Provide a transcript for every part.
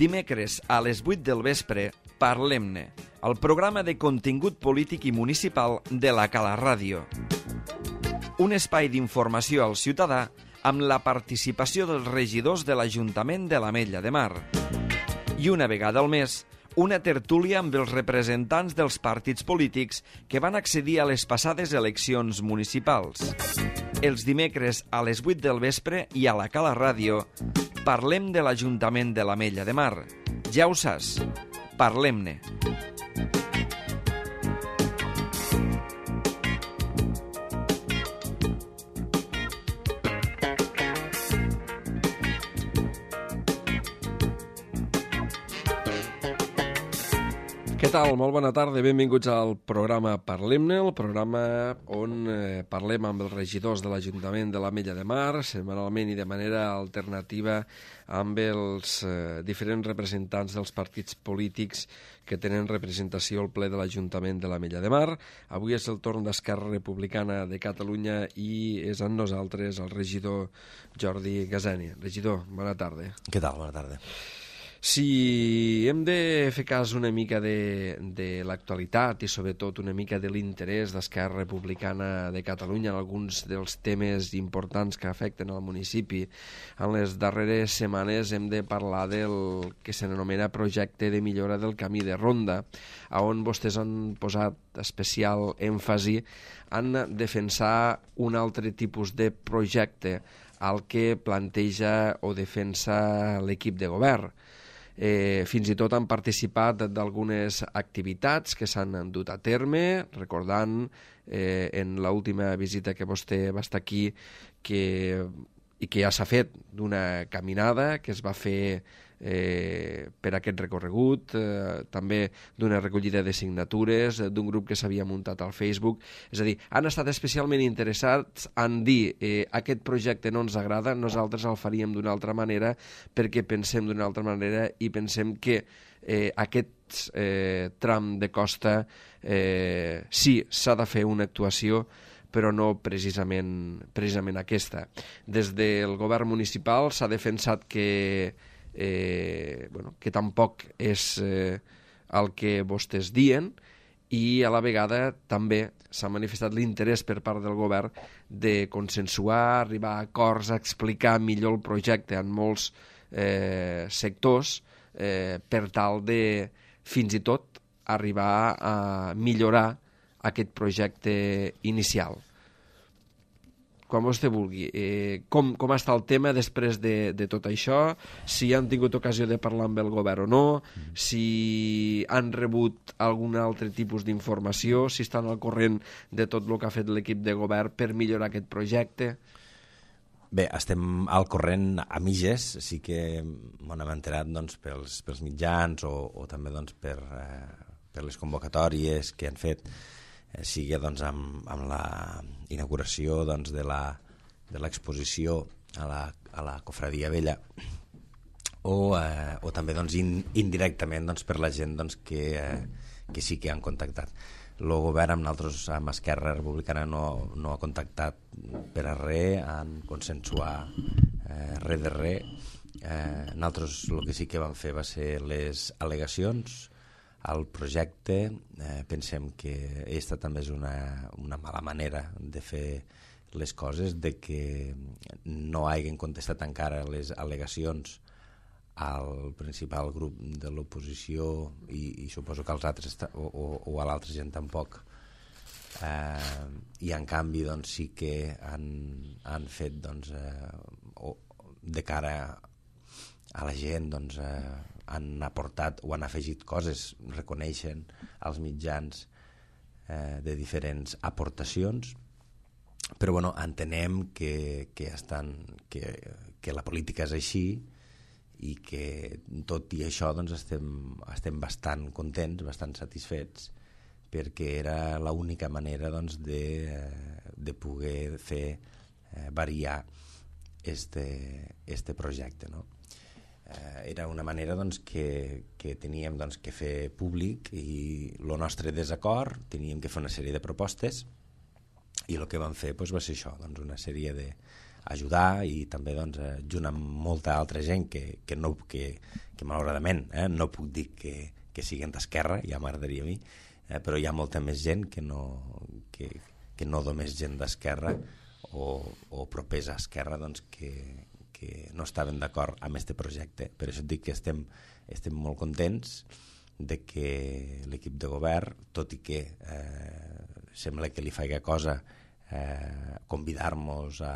Dimecres a les 8 del vespre, Parlem-ne, el programa de contingut polític i municipal de la Cala Ràdio. Un espai d'informació al ciutadà amb la participació dels regidors de l'Ajuntament de l'Ametlla de Mar. I una vegada al mes, una tertúlia amb els representants dels partits polítics que van accedir a les passades eleccions municipals. Els dimecres a les 8 del vespre i a la Cala Ràdio parlem de l'Ajuntament de l'Ametlla de Mar. Ja ho saps, parlem-ne. Què tal? Molt bona tarda, benvinguts al programa Parlem-ne, el programa on parlem amb els regidors de l'Ajuntament de l'Ametlla de Mar, setmanalment i de manera alternativa amb els diferents representants dels partits polítics que tenen representació al ple de l'Ajuntament de l'Ametlla de Mar. Avui és el torn d'Esquerra Republicana de Catalunya i és amb nosaltres el regidor Jordi Gasani. Regidor, bona tarda. Què tal? Bona tarda. Si hem de fer cas una mica de l'actualitat i sobretot una mica de l'interès d'Esquerra Republicana de Catalunya en alguns dels temes importants que afecten al municipi, en les darreres setmanes hem de parlar del que s'anomena projecte de millora del camí de ronda, on vostès han posat especial èmfasi en defensar un altre tipus de projecte al que planteja o defensa l'equip de govern. Fins i tot han participat d'algunes activitats que s'han dut a terme, recordant en l'última visita que vostè va estar aquí i que ja s'ha fet d'una caminada que es va fer per aquest recorregut, també d'una recollida de signatures, d'un grup que s'havia muntat al Facebook. És a dir, han estat especialment interessats en dir aquest projecte no ens agrada, nosaltres el faríem d'una altra manera perquè pensem d'una altra manera i pensem que aquest tram de costa sí, s'ha de fer una actuació, però no precisament aquesta. Des del govern municipal s'ha defensat que tampoc és el que vostès diuen i a la vegada també s'ha manifestat l'interès per part del govern de consensuar, arribar a acords, a explicar millor el projecte en molts sectors per tal de fins i tot arribar a millorar aquest projecte inicial. Quan vostè vulgui. Com està el tema després de tot això? Si han tingut ocasió de parlar amb el govern o no? Si han rebut algun altre tipus d'informació? Si estan al corrent de tot el que ha fet l'equip de govern per millorar aquest projecte? Bé, estem al corrent a mitges. Sí que m'hem enterat pels mitjans o també per les convocatòries que han fet, sigui amb la inauguració de l'exposició a la Cofradia Vella o també indirectament per la gent que sí que han contactat. El govern amb nosaltres, amb Esquerra Republicana, no ha contactat per a res, en consensuar res de res. Nosaltres el que sí que vam fer va ser les al·legacions al projecte. Pensem que aquesta també és una mala manera de fer les coses, de que no hagin contestat encara les al·legacions al principal grup de l'oposició i suposo que als altres o a l'altra gent tampoc, i en canvi sí que han fet de cara a la gent han aportat o han afegit coses, reconeixen als mitjans de diferents aportacions, però entenem que la política és així i que tot i això estem bastant contents, bastant satisfets, perquè era l'única manera de poder fer variar este projecte, no? Era una manera que teníem que fer públic i el nostre desacord, teníem que fer una sèrie de propostes i el que vam fer va ser això, una sèrie ajudar i també junt amb molta altra gent que malauradament no puc dir que siguin d'esquerra, ja m'agradaria a mi, però hi ha molta més gent que no només gent d'esquerra o propers a esquerra que no estaven d'acord amb aquest projecte. Per això et dic que estem molt contents de que l'equip de govern, tot i que sembla que li faci cosa convidar-nos a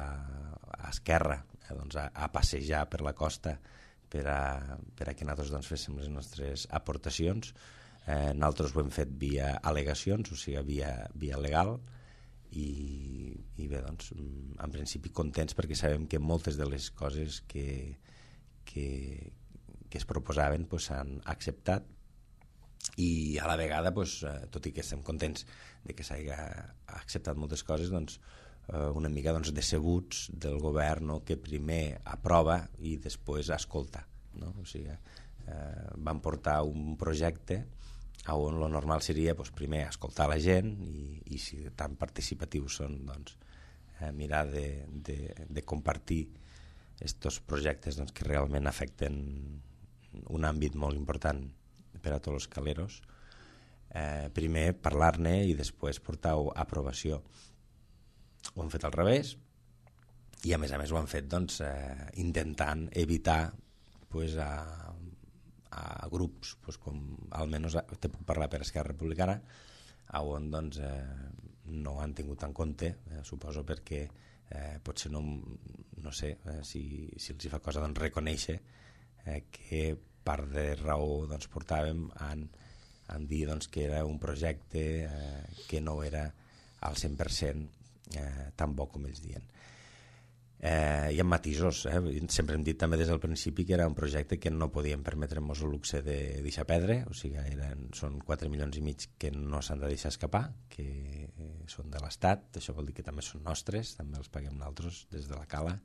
Esquerra a passejar per la costa per a que nosaltres féssim les nostres aportacions. Nosaltres ho hem fet via al·legacions, o sigui, via legal, i bé, en principi contents perquè sabem que moltes de les coses que es proposaven s'han acceptat i a la vegada, tot i que estem contents de que s'hagi acceptat moltes coses, una mica decebuts del govern, que primer aprova i després escolta, no? O sigui, van portar un projecte on el normal seria primer escoltar la gent i si tan participatius són, mirar de compartir aquests projectes que realment afecten un àmbit molt important per a tots els caleros. Primer parlar-ne i després portar-ho a aprovació. Ho han fet al revés i a més ho han fet intentant evitar a grups com almenys te puc parlar per Esquerra Republicana on no han tingut en compte, suposo perquè potser no sé si els fa cosa reconèixer que part de raó portàvem en dir que era un projecte que no era al 100% tan bo com ells diuen. Hi ha matisos, sempre hem dit també des del principi que era un projecte que no podíem permetre'ns el luxe de deixar perdre, o sigui, són 4,5 milions que no s'han de deixar escapar, que són de l'Estat, això vol dir que també són nostres, també els paguem nosaltres des de la cala,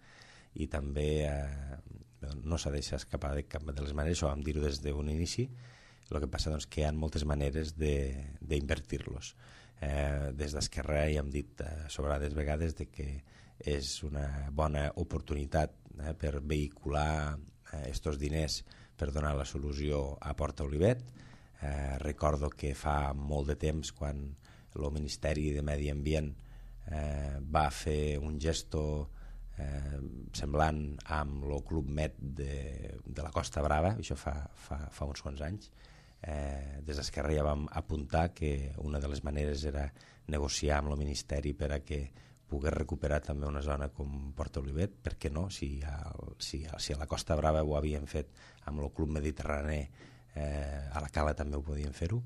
i també no s'ha de deixar escapar de cap de les maneres, això vam dir-ho des d'un inici. El que passa que hi ha moltes maneres d'invertir-los. Des d'Esquerra ja hem dit sobrades vegades que és una bona oportunitat per vehicular aquests diners per donar la solució a Port Olivet. Recordo que fa molt de temps quan el Ministeri de Medi Ambient va fer un gesto semblant amb el Club Med de la Costa Brava, això fa uns quants anys. Des d'Esquerra ja vam apuntar que una de les maneres era negociar amb el Ministeri per a que pogués recuperar també una zona com Port Olivet, per què no? Si a la Costa Brava ho havien fet amb el Club Mediterrani, a la Cala també ho podien fer-ho.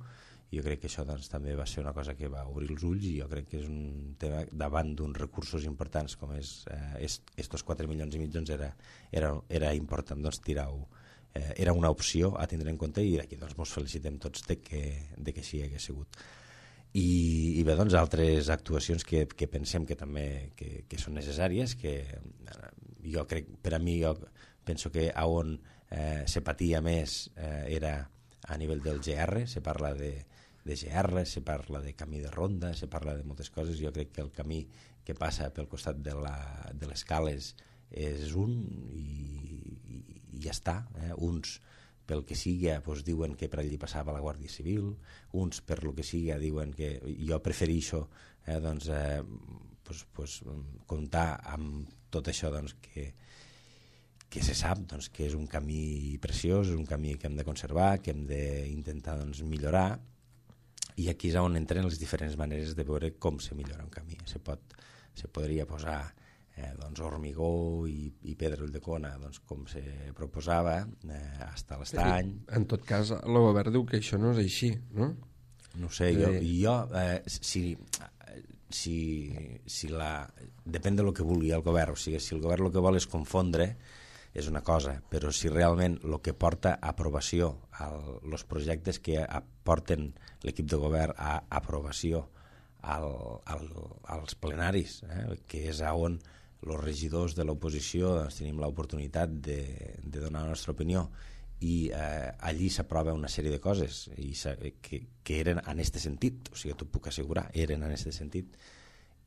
Jo crec que això també va ser una cosa que va obrir els ulls i jo crec que és un tema davant d'uns recursos importants com és estos 4,5 milions era important tirar-ho. Era una opció a tindre en compte i aquí ens felicitem tots de que així hagués sigut. I bé, altres actuacions que pensem que també que són necessàries, que jo crec, per a mi, jo penso que on se patia més era a nivell del GR, se parla de GR, se parla de camí de ronda, se parla de moltes coses. Jo crec que el camí que passa pel costat de les cales és un i ja està. Uns pel que sigui diuen que per allí passava la Guàrdia Civil, uns per lo que sigui diuen que jo prefereixo comptar amb tot això que se sap que és un camí preciós, és un camí que hem de conservar, que hem d'intentar millorar, i aquí és on entren les diferents maneres de veure com se millora un camí. Se podria posar hormigó i pedra Ulldecona, com se proposava, fins a l'estany. En tot cas, el govern diu que això no és així, no? No sé, depèn del que vulgui el govern. O sigui, si el govern el que vol és confondre, és una cosa, però si realment el que porta a aprovació, els projectes que aporten l'equip de govern a aprovació als plenaris, que és on els regidors de l'oposició tenim l'oportunitat de donar la nostra opinió, i allí s'aprova una sèrie de coses que eren en aquest sentit, o sigui, t'ho puc assegurar, eren en aquest sentit,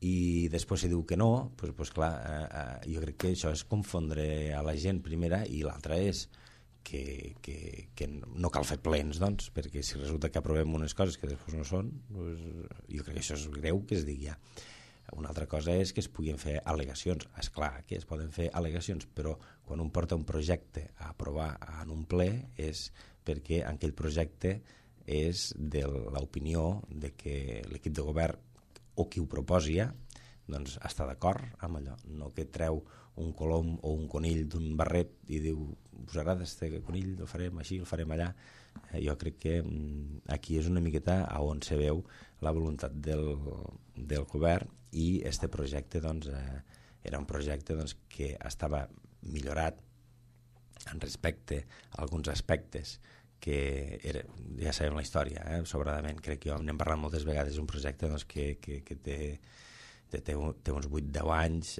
i després si diu que no, doncs clar, jo crec que això és confondre a la gent primera, i l'altra és que no cal fer plens, doncs, perquè si resulta que aprovem unes coses que després no són, doncs jo crec que això és greu que es digui ja. Una altra cosa és que es puguin fer al·legacions. És clar que es poden fer al·legacions, però quan un porta un projecte a aprovar en un ple és perquè en aquell projecte és de l'opinió de que l'equip de govern o qui ho proposi doncs està d'acord amb allò, no que treu un colom o un conill d'un barret i diu, us agrada este conill, el farem així, el farem allà. Jo crec que aquí és una miqueta on se veu la voluntat del govern, i este projecte doncs, era un projecte doncs, que estava millorat en respecte a alguns aspectes que era, ja sabem la història, sobradament, crec que jo n'hem parlat moltes vegades, és un projecte doncs, que té uns 8-10 anys,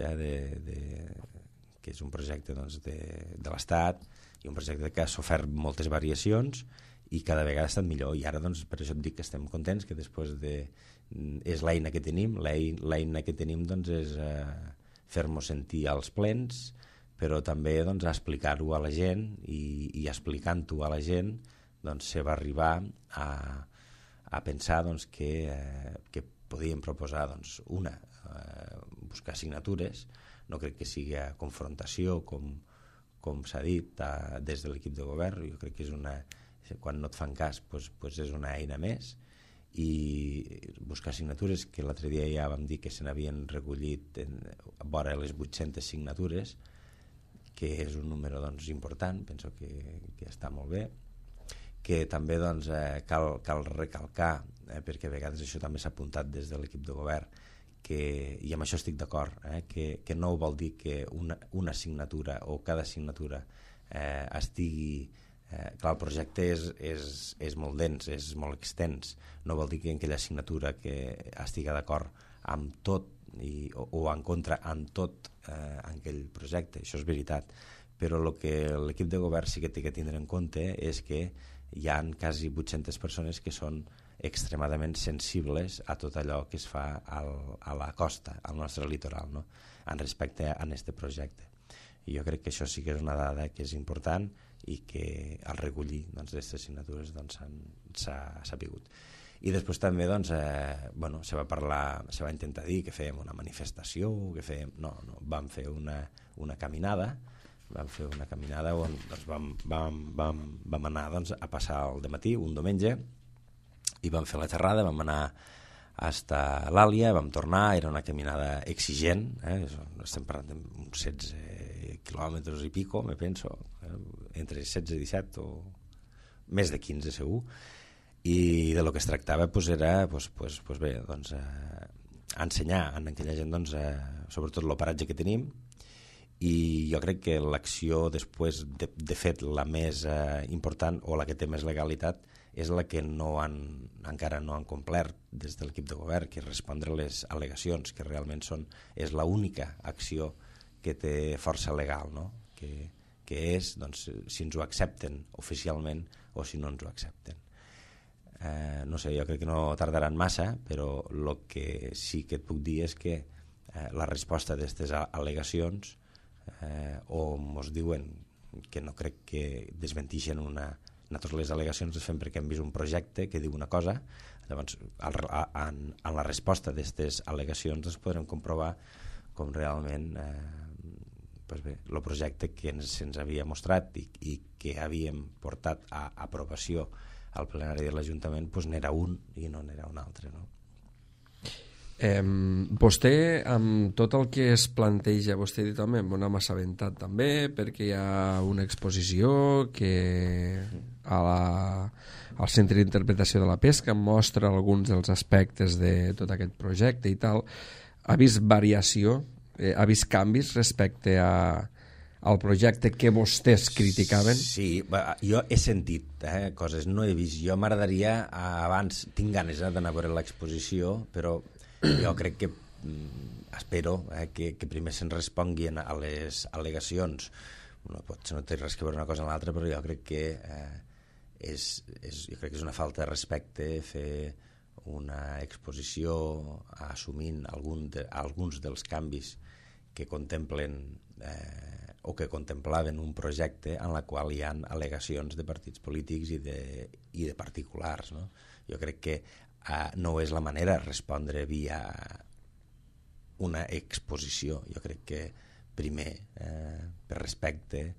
que és un projecte doncs, de l'Estat, i un projecte que ha sofert moltes variacions i cada vegada ha estat millor, i ara doncs, per això et dic que estem contents, que després és l'eina que tenim, l'eina que tenim doncs, és fer-nos sentir als plens, però també doncs, explicar-ho a la gent, i explicant-ho a la gent doncs, se va arribar a pensar doncs, que podíem proposar doncs, buscar signatures. No crec que sigui a confrontació com s'ha dit des de l'equip de govern. Jo crec que quan no et fan cas doncs és una eina més, i buscar signatures, que l'altre dia ja vam dir que se n'havien recollit vora les 800 signatures, que és un número doncs, important, penso que està molt bé, que també doncs, cal recalcar, perquè a vegades això també s'ha apuntat des de l'equip de govern, i amb això estic d'acord, que no vol dir que una signatura o cada signatura estigui... Clar, el projecte és molt dens, és molt extens, no vol dir que aquella signatura que estigui d'acord amb tot o en contra amb tot aquell projecte, això és veritat, però el que l'equip de govern sí que té que tindre en compte és que hi ha quasi 800 persones que són extremadament sensibles a tot allò que es fa a la costa, al nostre litoral, no? En respecte a aquest projecte. I jo crec que això sí que és una dada que és important i que al recollir d'aquestes signatures s'ha sapigut. I després també se va intentar dir que fèiem una manifestació, vam fer una caminada, on vam anar a passar el dematí, un diumenge, i vam fer la xerrada, vam anar fins a l'Àlia, vam tornar, era una caminada exigent, estem parlant d'uns 16 quilòmetres i pico, me penso, entre 16 i 17 o més de 15 segur, i de lo que es tractava era ensenyar a aquella gent sobretot l'operatge que tenim, i jo crec que l'acció després, de fet, la més important o la que té més legalitat és la que encara no han complert des de l'equip de govern, que és respondre les al·legacions, que realment és l'única acció que té força legal, no? Que és si ens ho accepten oficialment o si no ens ho accepten. No sé, jo crec que no tardaran massa, però el que sí que et puc dir és que la resposta d'aquestes al·legacions o ens diuen que no crec que desmentixen nosaltres les al·legacions les fem perquè hem vist un projecte que diu una cosa, llavors en la resposta d'aquestes al·legacions podrem comprovar com realment el projecte que se'ns havia mostrat i que havíem portat a aprovació al plenari de l'Ajuntament n'era un i no n'era un altre, no? Vostè, amb tot el que es planteja, vostè ha dit, home, m'ho m'ha assabentat també, perquè hi ha una exposició que al Centre d'Interpretació de la Pesca mostra alguns dels aspectes de tot aquest projecte i tal. Ha vist variació, ha vist canvis respecte al projecte que vostès criticaven? Sí, jo he sentit coses, no he vist. Jo m'agradaria, abans, tinc ganes d'anar a veure l'exposició, però jo crec que espero que primer se'n responguin a les al·legacions. Potser no té res que veure una cosa amb l'altra, però jo crec que és una falta de respecte fer una exposició assumint alguns dels canvis que contemplen o que contemplaven un projecte en la qual hi ha al·legacions de partits polítics i de particulars, no? Jo crec que no és la manera de respondre via una exposició. Jo crec que primer, per respecte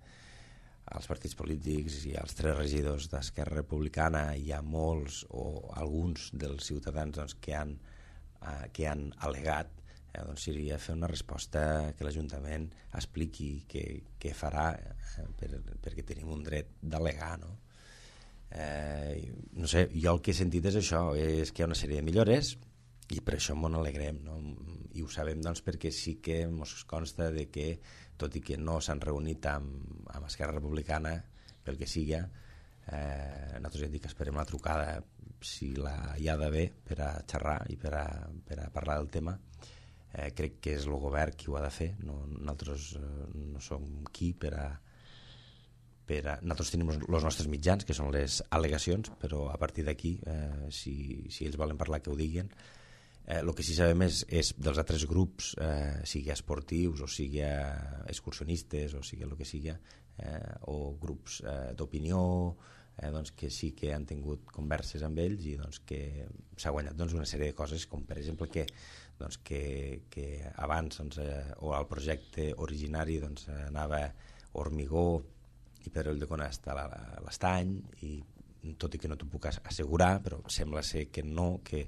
als partits polítics i als 3 regidors d'Esquerra Republicana, hi ha molts o alguns dels ciutadans doncs, que han al·legat, doncs seria fer una resposta que l'Ajuntament expliqui què farà, perquè tenim un dret d'al·legar, no? No sé, jo el que he sentit és això, és que hi ha una sèrie de millores i per això m'ho alegrem, no? I ho sabem doncs, perquè sí que ens consta de que, tot i que no s'han reunit amb Esquerra Republicana, pel que siga, nosaltres hem dit que esperem la trucada si hi ha d'haver per a xerrar i per a parlar del tema. Crec que és el govern qui ho ha de fer, nosaltres no som qui per a... Nosaltres tenim els nostres mitjans, que són les al·legacions, però a partir d'aquí, si ells volen parlar, que ho diguin. El que sí sabem és dels altres grups, sigui esportius o sigui excursionistes o sigui el que sigui, o grups d'opinió, doncs que sí que han tingut converses amb ells i doncs que s'ha guanyat doncs, una sèrie de coses, com per exemple que abans doncs, o al projecte originari doncs, anava Hormigó i Pedra Ulldecona hasta l'Estany, i tot i que no t'ho puc assegurar, però sembla ser que no, que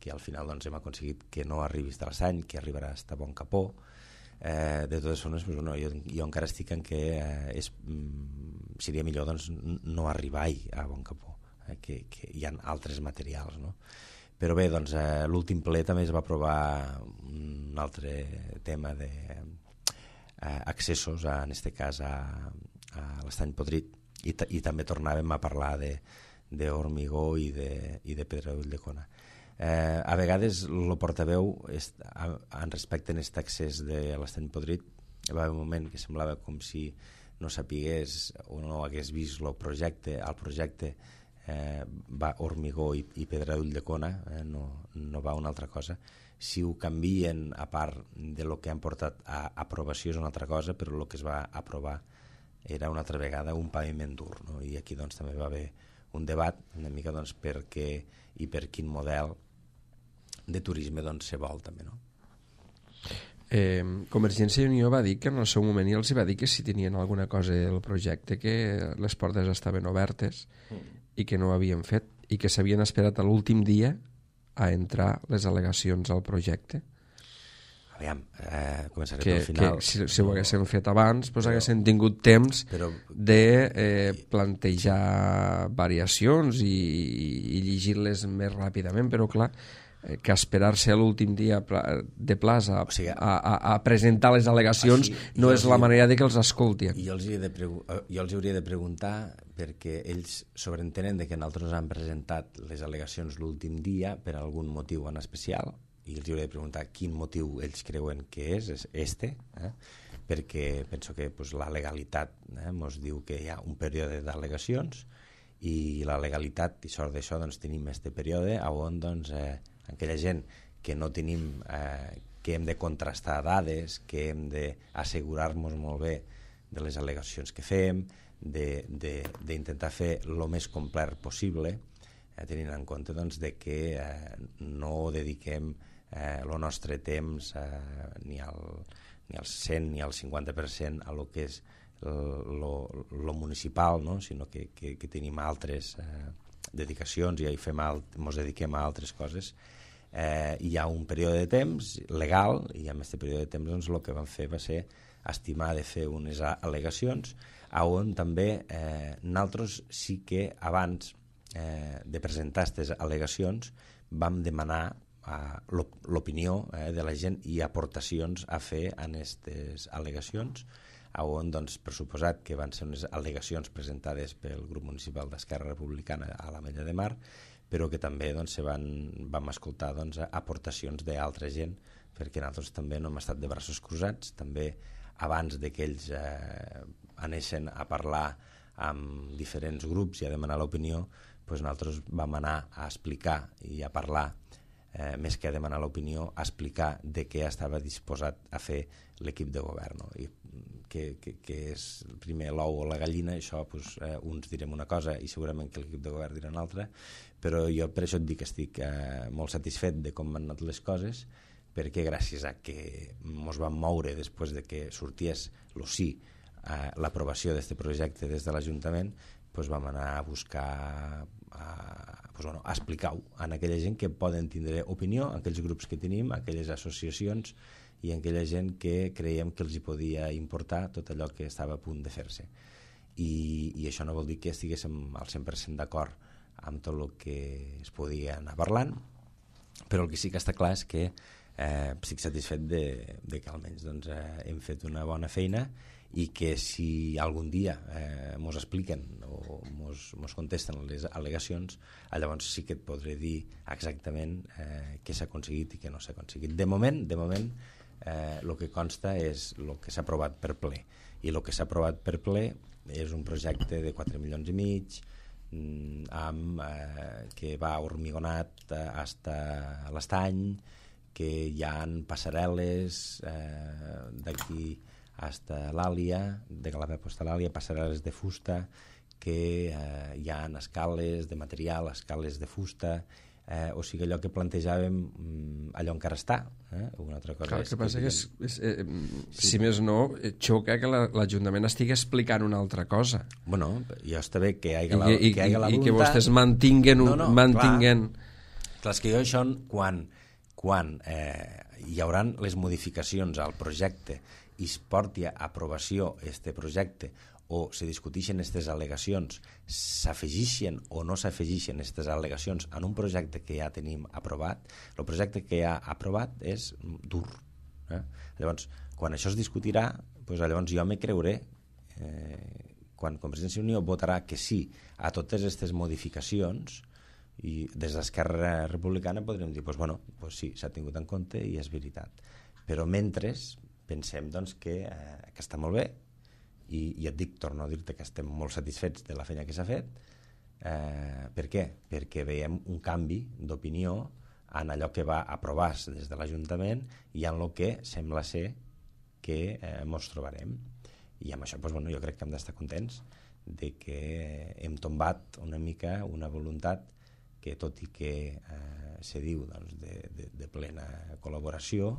al final doncs, hem aconseguit que no arribi a l'Estany, que arribarà a Bon Capó. De totes formes, jo encara estic en que seria millor doncs, no arribar a Bon Capó, que hi ha altres materials, no? Però bé, doncs, l'últim ple també es va aprovar un altre tema d'accessos, en aquest cas a l'Estany Podrit, i també tornàvem a parlar d'Hormigó i de Pedra Ulldecona. A vegades el portaveu en respecte a aquest accés de l'Estany Podrit va haver un moment que semblava com si no sapigués o no hagués vist el projecte. El projecte va Hormigó i Pedra Ulldecona, no va una altra cosa. Si ho canvien, a part de lo que han portat a aprovació, és una altra cosa, però el que es va aprovar era una altra vegada un paviment dur, no? I aquí doncs, també va haver un debat una mica doncs, per què i per quin model de turisme doncs, se vol també, no? Convergència i Unió va dir que en el seu moment els va dir que si tenien alguna cosa del projecte, que les portes estaven obertes i que no ho havien fet i que s'havien esperat a l'últim dia a entrar les al·legacions al projecte. Aviam, començaré pel final. Que si ho haguessin fet abans, doncs haguessin tingut temps de plantejar variacions i llegir-les més ràpidament, però clar, que esperar-se a l'últim dia de plaça a presentar les al·legacions no és la manera de que els escoltin. Jo els hauria de preguntar, perquè ells sobreentenen que nosaltres hem presentat les al·legacions l'últim dia per algun motiu en especial, i els hauria de preguntar quin motiu ells creuen que és perquè penso que la legalitat ens diu que hi ha un període d'al·legacions, i la legalitat, i sort d'això, doncs tenim aquest període on doncs, aquella gent que no tenim, que hem de contrastar dades, que hem d'assegurar-nos molt bé de les al·legacions que fem, d'intentar fer el més complet possible, tenint en compte doncs, que no dediquem el nostre temps ni al 100 ni al 50% a lo que és lo municipal, no? Sinó que tenim altres dedicacions i ens dediquem a altres coses. Hi ha un període de temps legal, i en aquest període de temps doncs, el que vam fer va ser estimar de fer unes al·legacions on també nosaltres sí que abans de presentar aquestes al·legacions vam demanar l'opinió de la gent i aportacions a fer en aquestes al·legacions, on, doncs, per suposat que van ser unes al·legacions presentades pel grup municipal d'Esquerra Republicana a l'Ametlla de Mar, però que també doncs, vam escoltar doncs, aportacions d'altra gent, perquè nosaltres també no hem estat de braços cruzats. També abans de que ells anessin a parlar amb diferents grups i a demanar l'opinió, doncs nosaltres vam anar a explicar i a parlar, més que a demanar l'opinió, a explicar de què estava disposat a fer l'equip de govern, no? I que és primer l'ou o la gallina, això doncs, uns direm una cosa i segurament que l'equip de govern dirà una altra, però jo per això et dic que estic molt satisfet de com han anat les coses, perquè gràcies a que ens vam moure després de que sorties el sí a l'aprovació d'aquest projecte des de l'Ajuntament, doncs vam anar a buscar a explicar-ho a aquella gent que poden tindre opinió, a aquells grups que tenim, a aquelles associacions i a aquella gent que creiem que els hi podia importar tot allò que estava a punt de fer-se. I això no vol dir que estiguéssim al 100% d'acord amb tot el que es podia anar parlant, però el que sí que està clar és que estic satisfet de que almenys doncs, hem fet una bona feina i que si algun dia mos expliquen o mos contesten les al·legacions, llavors sí que et podré dir exactament què s'ha aconseguit i què no s'ha aconseguit. De moment, el que consta és el que s'ha aprovat per ple, i el que s'ha aprovat per ple és un projecte de 4,5 milions que va hormigonat fins a l'Estany, que hi ha passarel·les d'aquí fins a l'Àlia, de Calafell fins a l'Àlia, passarel·les de fusta, que hi ha escales de material, escales de fusta, o sigui, allò que plantejàvem, allò encara està. Una altra cosa. Clar, el que passa que si més no, xoca que l'Ajuntament estigui explicant una altra cosa. Bueno, ja està bé que hi hagi la voluntat. I que vostès mantinguen... Clar, és que jo això, quan hi haurà les modificacions al projecte i es porti a aprovació este projecte o se discuteixen aquestes al·legacions, s'afegeixen o no s'afegeixen aquestes al·legacions en un projecte que ja tenim aprovat, el projecte que ja ha aprovat és dur. Llavors, quan això es discutirà, doncs llavors jo me creuré, quan Convergència i Unió votarà que sí a totes aquestes modificacions, i des d'Esquerra Republicana podrem dir, doncs, bueno, doncs sí, s'ha tingut en compte i és veritat. Però mentre pensem doncs, que està molt bé, i et dic, torno a dir-te que estem molt satisfets de la feina que s'ha fet. Per què? Perquè veiem un canvi d'opinió en allò que va aprovar-se des de l'Ajuntament i en el que sembla ser que ens trobarem. I amb això doncs, bueno, jo crec que hem d'estar contents de que hem tombat una mica una voluntat que, tot i que se diu doncs, de plena col·laboració,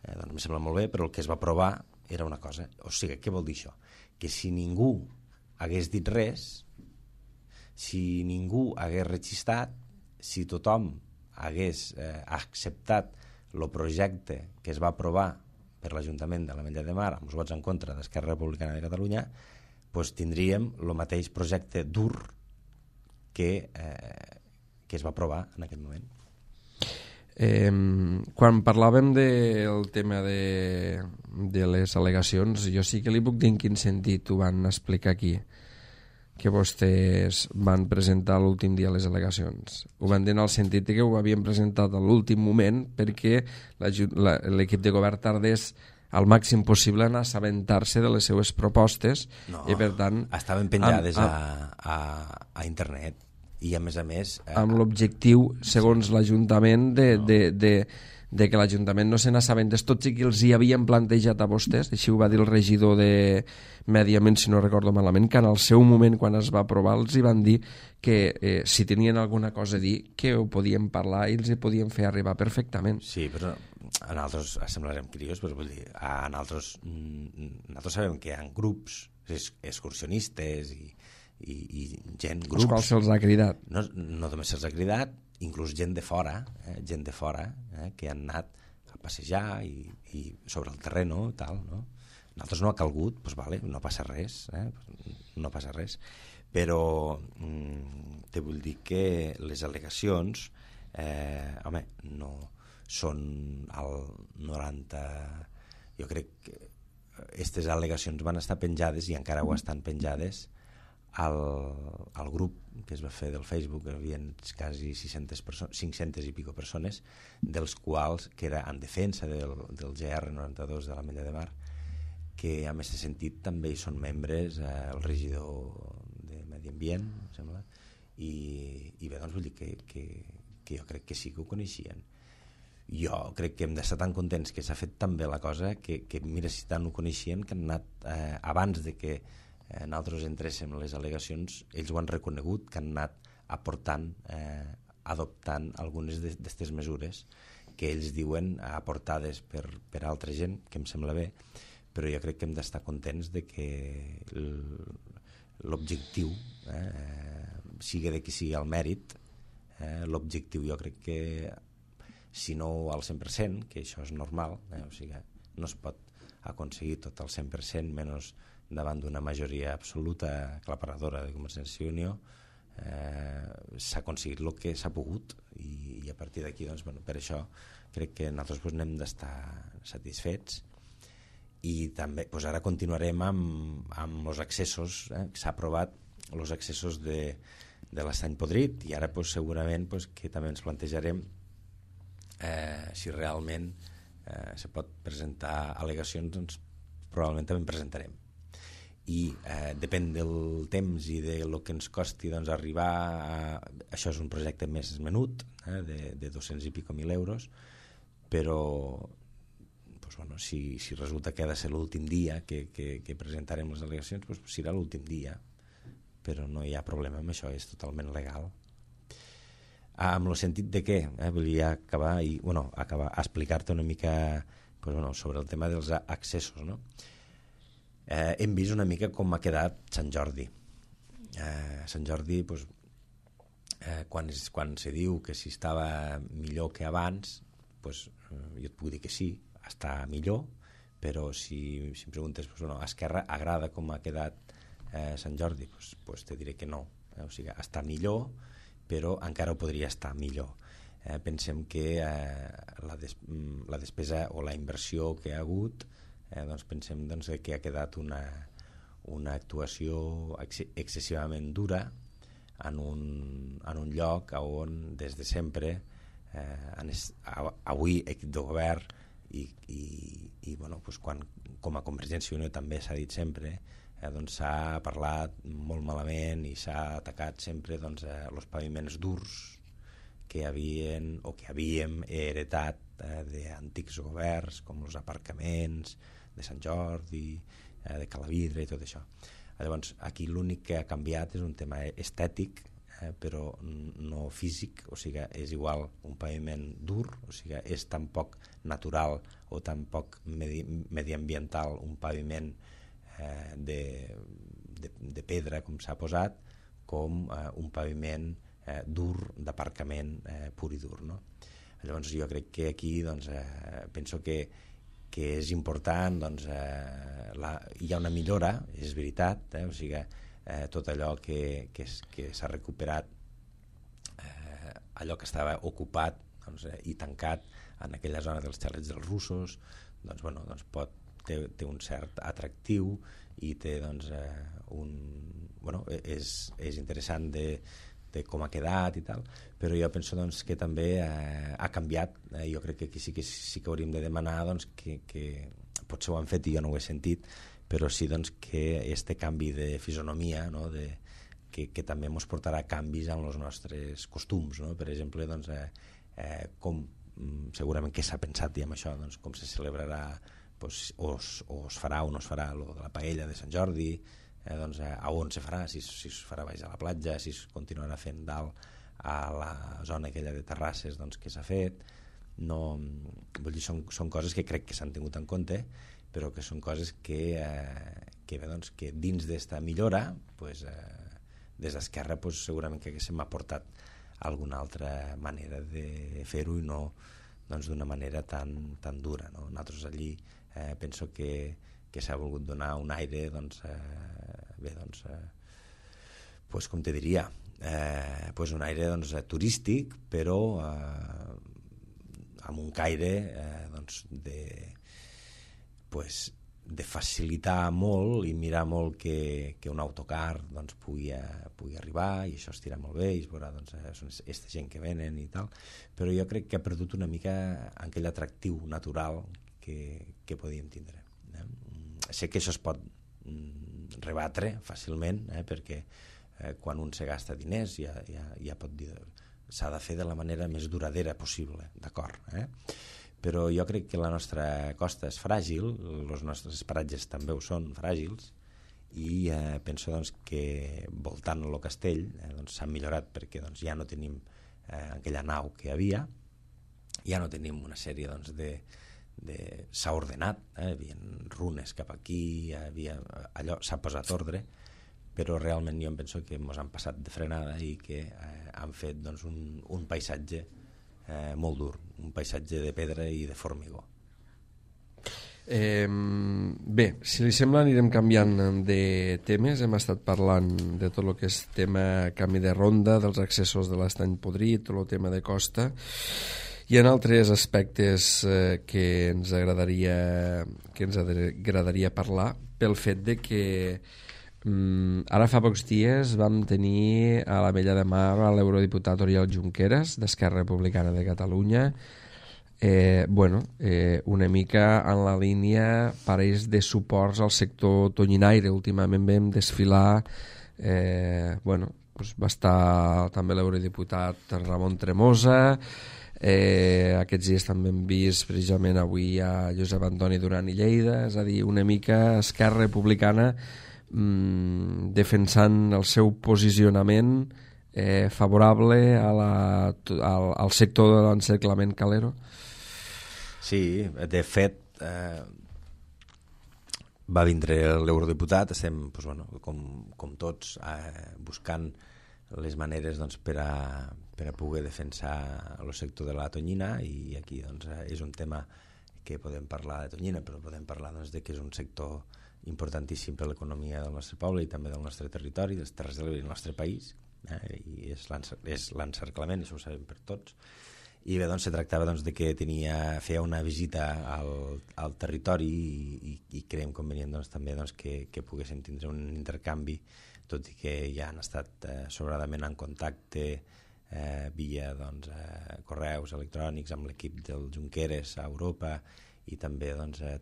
doncs em sembla molt bé, però el que es va aprovar era una cosa. O sigui, què vol dir això? Que si ningú hagués dit res, si ningú hagués registrat, si tothom hagués acceptat el projecte que es va aprovar per l'Ajuntament de l'Ametlla de Mar amb els vots en contra d'Esquerra Republicana de Catalunya, doncs tindríem el mateix projecte dur que es va aprovar en aquell moment. Quan parlàvem del tema de les al·legacions, jo sí que li puc dir en quin sentit ho van explicar aquí, que vostès van presentar l'últim dia les al·legacions. Ho van dir en el sentit que ho havien presentat a l'últim moment perquè l'equip de govern tardés al màxim possible en assabentar-se de les seues propostes. No, i per tant estaven penjades a internet. I a més, amb l'objectiu, segons l'Ajuntament, de que l'Ajuntament no se n'assabentés, tot i que els hi havien plantejat a vostès, així ho va dir el regidor de Medi Ambient, si no recordo malament, que en el seu moment, quan es va aprovar, els hi van dir que si tenien alguna cosa a dir, que ho podien parlar i els hi podien fer arribar perfectament. Sí, però a nosaltres semblarem crios, però vull dir, nosaltres sabem que hi ha grups excursionistes i gent, grups... Els quals se'ls ha cridat. No només se'ls ha cridat, inclús gent de fora, que han anat a passejar i sobre el terreno i tal, no? Nosaltres no ha calgut, doncs vale, no passa res, no passa res, però te vull dir que les al·legacions, home, no són al 90... Jo crec que aquestes al·legacions van estar penjades i encara ho estan penjades al grup que es va fer del Facebook, hi havia quasi 500 i pico persones, dels quals, que era en defensa del GR92 de l'Ametlla de Mar, que en aquest sentit també hi són membres el regidor de Medi Ambient, em sembla, i bé, doncs vull dir que jo crec que sí que ho coneixien. Jo crec que hem d'estar tan contents que s'ha fet tan bé la cosa que mira, si tant ho coneixien, que han anat abans de que nosaltres entréssim les al·legacions, ells ho han reconegut, que han anat aportant, adoptant algunes d'aquestes mesures que ells diuen aportades per altra gent, que em sembla bé, però jo crec que hem d'estar contents de que l'objectiu, sigui de qui sigui el mèrit, l'objectiu jo crec que, si no al 100%, que això és normal, o sigui, no es pot aconseguir tot al 100%, menys davant d'una majoria absoluta aclaparadora de Convergència i Unió, s'ha aconseguit el que s'ha pogut i a partir d'aquí, doncs, bueno, per això crec que nosaltres n'hem d'estar satisfets. I també ara continuarem amb els accessos, s'ha aprovat els accessos de l'Estany Podrit, i ara segurament que també ens plantejarem si realment se pot presentar al·legacions, doncs probablement també en presentarem, i depèn del temps i del que ens costi, doncs, arribar a... Això és un projecte més menut, de 200 i pico mil euros, però doncs, bueno, si resulta que ha de ser l'últim dia que presentarem les al·legacions, doncs serà l'últim dia, però no hi ha problema amb això, és totalment legal. Amb el sentit de què? Volia acabar a explicar-te una mica sobre el tema dels accessos, no? Hem vist una mica com ha quedat Sant Jordi. Sant Jordi, quan se diu que si estava millor que abans, jo et puc dir que sí, està millor, però si em preguntes a Esquerra agrada com ha quedat Sant Jordi, te diré que no, o sigui, està millor, però encara ho podria estar millor. Pensem que la despesa o la inversió que ha hagut, pensem que ha quedat una actuació excessivament dura en un lloc on des de sempre avui equip de govern i quan, com a Convergència i Unió també s'ha dit sempre, s'ha parlat molt malament i s'ha atacat sempre els paviments durs que havíem heretat d'antics governs, com els aparcaments de Sant Jordi, de Calavidra i tot això. Llavors, aquí l'únic que ha canviat és un tema estètic, però no físic, o sigui, és igual un paviment dur, o sigui, és tan poc natural o tan poc mediambiental un paviment de pedra, com s'ha posat, com un paviment dur d'aparcament pur i dur, no? Llavors jo crec que aquí penso que és important, hi ha una millora, és veritat, o sigui, tot allò que s'ha recuperat, allò que estava ocupat i tancat en aquella zona dels xalets dels russos, té un cert atractiu i té és interessant de com ha quedat i tal, però jo penso que també ha canviat. Jo crec que aquí sí que hauríem de demanar que potser ho han fet i jo no ho he sentit, però sí que este canvi de fisonomia, no? Que també ens portarà canvis en els nostres costums, no? Per exemple, com segurament que s'ha pensat i amb això, com se celebrarà, o es farà o no es farà lo de la paella de Sant Jordi, a on se farà, si es farà baix a la platja, si es continuarà fent dalt a la zona aquella de terrasses que s'ha fet. No, vull dir, són coses que crec que s'han tingut en compte, però que són coses que dins d'esta millora, des d'Esquerra segurament que haguéssim aportat alguna altra manera de fer-ho i no d'una manera tan dura, no? Nosaltres allí penso que s'ha volgut donar un aire com te diria, un aire turístic, però amb un caire de facilitar molt i mirar molt que un autocar pugui arribar, i això estirà molt bé i es veurà aquesta gent que venen i tal, però jo crec que ha perdut una mica aquell atractiu natural que podíem tindre. Sé que això es pot rebatre fàcilment, perquè quan un se gasta diners ja pot dir s'ha de fer de la manera més duradera possible, d'acord, però jo crec que la nostra costa és fràgil, els nostres paratges també ho són, fràgils, i penso doncs, que voltant el castell s'han millorat perquè ja no tenim aquella nau que hi havia, ja no tenim una sèrie s'ha ordenat, hi havia runes cap aquí, allò s'ha posat ordre, però realment jo em penso que ens han passat de frenada i que han fet un paisatge molt dur, un paisatge de pedra i de formigó. Bé, si li sembla anirem canviant de temes. Hem estat parlant de tot el que és tema canvi de ronda, dels accessos de l'Estany Podrit, tot el tema de costa. Hi ha altres aspectes que ens agradaria parlar, pel fet de que ara fa pocs dies vam tenir a la Vella de Mar l'eurodiputat Oriol Junqueras d'Esquerra Republicana de Catalunya, una mica en la línia pareix de suports al sector tonyinaire. Últimament vam desfilar, va estar també l'eurodiputat Ramon Tremosa, aquests dies també hem vist precisament avui a Josep Antoni Duran i Lleida, és a dir, una mica Esquerra Republicana defensant el seu posicionament favorable al sector de l'encerclament calero. Sí, de fet va vindre l'eurodiputat, estem com tots buscant les maneres per a poder defensar el sector de la tonyina, i aquí és un tema que podem parlar de tonyina, però podem parlar de que és un sector importantíssim per a l'economia del nostre poble i també del nostre territori, dels Terres de l'Ebre i del nostre país, i és l'encerclament, això ho sabem per tots. I bé, se tractava de que feia una visita al territori i creiem convenient també que poguéssim tindre un intercanvi, tot i que ja han estat sobradament en contacte via correus electrònics amb l'equip del Junqueras a Europa, i també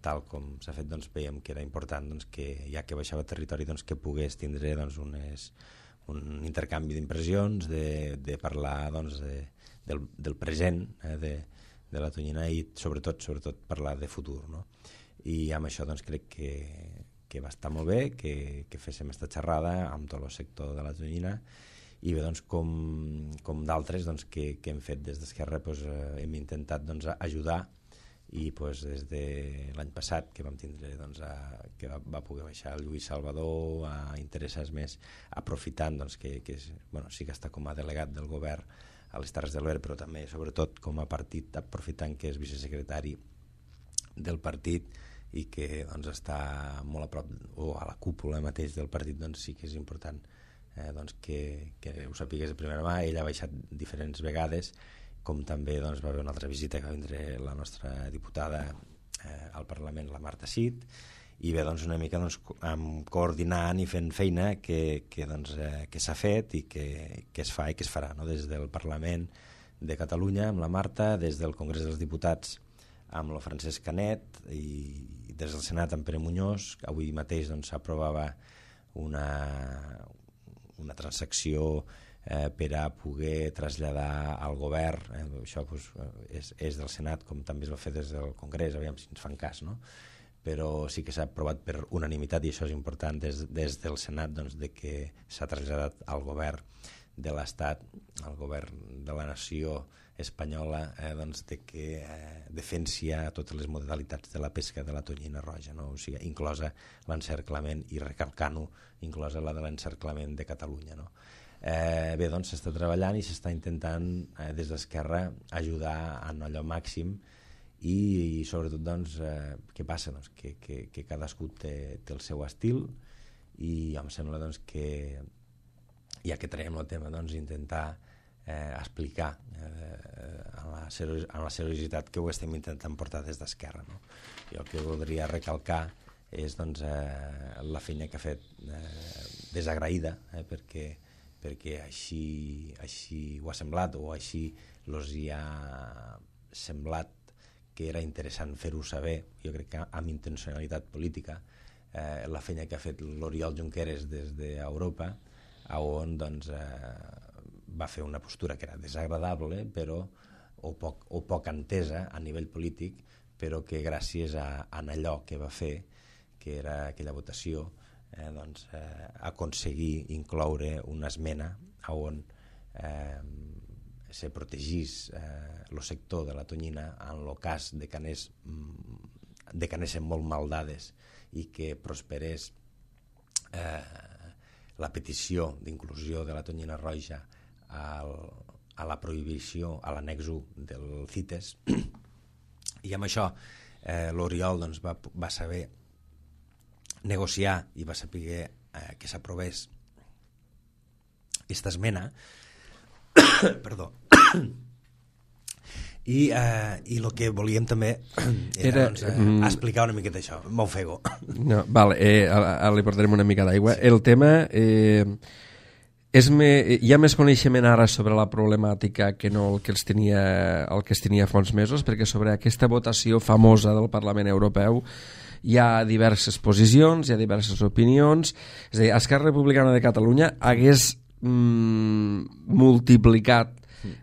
tal com s'ha fet veiem que era important que ja que baixava el territori que pogués tindre un intercanvi d'impressions, de parlar del present de la tonyina i sobretot parlar de futur, no? I amb això crec que va estar molt bé que féssim aquesta xerrada amb tot el sector de la tonyina. I bé, com d'altres que hem fet des d'Esquerra, hem intentat ajudar, i des de l'any passat que vam tindre que va poder baixar el Lluís Salvador a interessar-se més, aprofitant que sí que està com a delegat del govern a les Terres de l'Ebre, però també sobretot com a partit, aprofitant que és vicesecretari del partit i que està molt a prop o a la cúpula mateix del partit, sí que és important que ho sapigués de primera mà. Ell ha baixat diferents vegades, com també va haver una altra visita que va vindre la nostra diputada al Parlament, la Marta Cid, i bé, una mica coordinant i fent feina que s'ha fet i que es fa i que es farà, no? Des del Parlament de Catalunya amb la Marta, des del Congrés dels Diputats amb el Francesc Canet i des del Senat amb Pere Muñoz. Avui mateix s'aprovava una transacció per a poder traslladar al govern, això és del Senat, com també es va fer des del Congrés, aviam si ens fan cas, no? Però sí que s'ha aprovat per unanimitat, i això és important des del Senat, de que s'ha traslladat al govern de l'Estat, al govern de la nació espanyola, de que defensi totes les modalitats de la pesca de la tonyina roja, no? O sigui, inclosa l'encerclament, i recalcant-ho, inclosa la de l'encerclament de Catalunya, no? Bé, s'està treballant i s'està intentant des d'Esquerra ajudar en allò màxim, i sobretot què passa? Que cadascú té el seu estil, i em sembla que ja que traiem el tema, intentar explicar en la seriositat que ho estem intentant portar des d'Esquerra, no? Jo el que voldria recalcar és la feina que ha fet desagraïda, perquè així ho ha semblat, o així els hi ha semblat que era interessant fer-ho saber, jo crec que amb intencionalitat política, la feina que ha fet l'Oriol Junqueras des d'Europa on doncs, va fer una postura que era desagradable, però o poc entesa a nivell polític, però que gràcies a allò que va fer, que era aquella votació, aconseguir incloure una esmena on se protegís el sector de la tonyina en el cas de que anessin molt mal dades i que prosperés la petició d'inclusió de la tonyina roja a la prohibició, a l'annex 1 del CITES. I amb això l'Oriol doncs, va saber negociar i va saber que s'aprovés aquesta esmena. Perdó. I el que volíem també era explicar una miqueta això. M'ofego. No, vale, ara li portarem una mica d'aigua. Sí. El tema... hi ha més coneixement ara sobre la problemàtica que no el que es tenia fa uns mesos, perquè sobre aquesta votació famosa del Parlament Europeu hi ha diverses posicions, hi ha diverses opinions. És a dir, Esquerra Republicana de Catalunya hagués multiplicat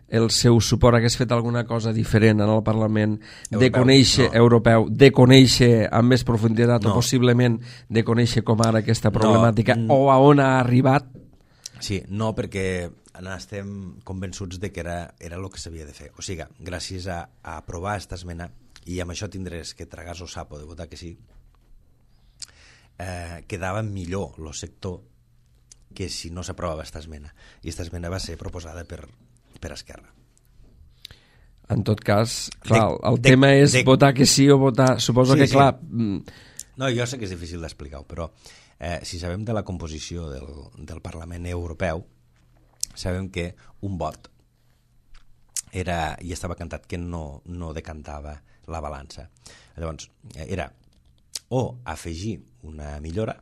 el seu suport, hagués fet alguna cosa diferent en el Parlament europeu, de conèixer amb més profunditat o possiblement de conèixer com ara aquesta problemàtica o a on ha arribat. Sí, no, perquè estem convençuts de que era el que s'havia de fer. O sigui, gràcies a aprovar aquesta esmena, i amb això tindràs que tragar el sapo de votar que sí, quedava millor el sector que si no s'aprovava aquesta esmena. I aquesta esmena va ser proposada per Esquerra. En tot cas, clar, el tema és votar que sí o votar... Suposo que, clar... No, jo sé que és difícil d'explicar-ho, però si sabem de la composició del Parlament Europeu, sabem que un vot era, i estava cantat que no decantava la balança. Llavors, era o afegir una millora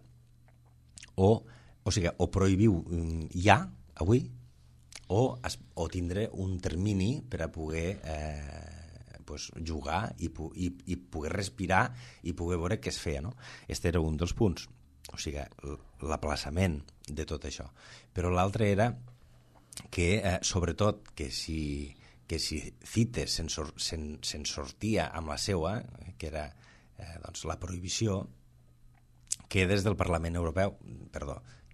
o sigui, o prohibiu ja, avui, o tindre un termini per a poder jugar i poder respirar i poder veure què es feia, no? Este era un dels punts, o sigui, l'aplaçament de tot això. Però l'altre era que, sobretot, que si CITES se'n sortia amb la seua, que era la prohibició, que des del Parlament Europeu,